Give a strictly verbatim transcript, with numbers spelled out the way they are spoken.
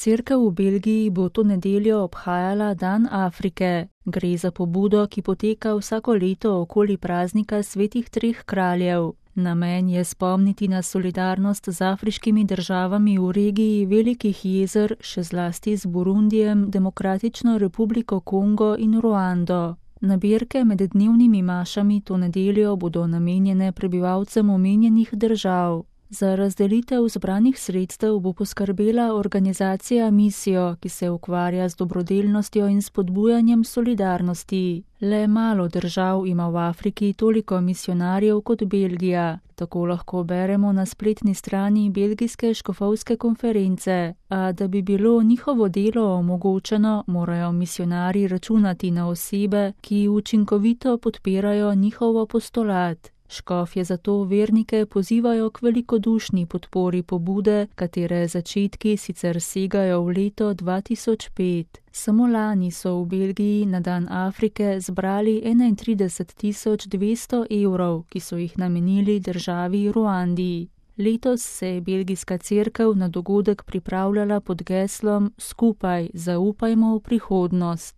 Cerkev v Belgiji bo to nedeljo obhajala Dan Afrike. Gre za pobudo, ki poteka vsako leto okoli praznika svetih treh kraljev. Namen je spomniti na solidarnost z afriškimi državami v regiji Velikih jezer, še zlasti z Burundijem, Demokratično republiko Kongo in Ruando. Nabirke med dnevnimi mašami to nedeljo bodo namenjene prebivalcem omenjenih držav. Za razdelitev zbranih sredstev bo poskrbela organizacija Misijo, ki se ukvarja z dobrodelnostjo in spodbujanjem solidarnosti. Le malo držav ima v Afriki toliko misijonarjev kot Belgija. Tako lahko beremo na spletni strani belgijske škofovske konference. A da bi bilo njihovo delo omogočeno, morajo misijonarji računati na osebe, ki učinkovito podpirajo njihov apostolat. Škofje zato vernike pozivajo k velikodušni podpori pobude, katere začetki sicer segajo v leto dva tisoč pet. Samo lani so v Belgiji na Dan Afrike zbrali enaintrideset tisoč dvesto evrov, ki so jih namenili državi Ruandi. Letos se je belgijska cerkev na dogodek pripravljala pod geslom Skupaj zaupajmo v prihodnost.